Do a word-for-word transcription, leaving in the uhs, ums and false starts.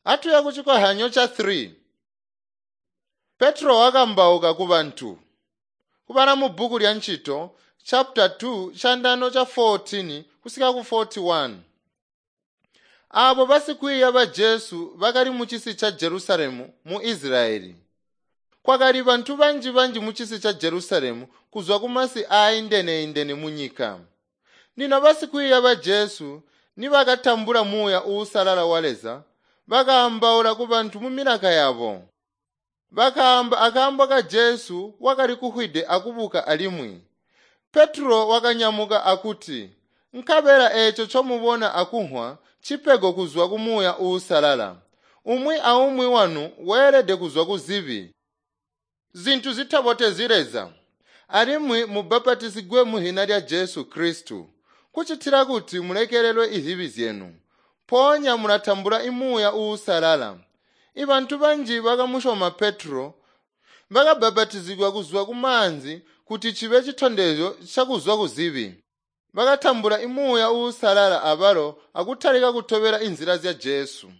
Atuya kucikohyanyo ca three. Petro wakambauka kubantu. Kubala mu bbuku lya Ncito chapter two candano ca fourteen kusika ku forty-one. Aabo basikwiiya ba Jesu bakali mucisi ca Jerusalemu mu Israyeli. Kwakali bantu banji-banji mucisi ca Jerusalemu kuzwa kumasi aaindene-indene munyika. Lino basikwiiya ba Jesu nibakatambula Muuya Uusalala wa Leza, bakaambaula kubantu mumilaka yabo. Bakaamba akaambo ka Jesu wakali kufwide akubuka alimwi. Petro wakanyamuka akuti, "Nkabela eeco ncomubona akumvwa ncipego kuzwa ku Muuya Uusalala. Umwi aumwi wanu weelede kuzwa kuzibi, zintu zitabotezyi Leza, alimwi mubapatizigwe muzina lya Jesu Kristu, kucitila kuti mulekelelwe izibi zyenu. Mpoonya mulatambula Muuya Uusalala." Ibantu banji bakamusyoma Petro, bakabapatizigwa kuzwa kumaanzi kuti cibe citondezyo cakuzwa kuzibi. Bakatambula Muuya Uusalala abalo akutalika kutobela inzila zya Jesu.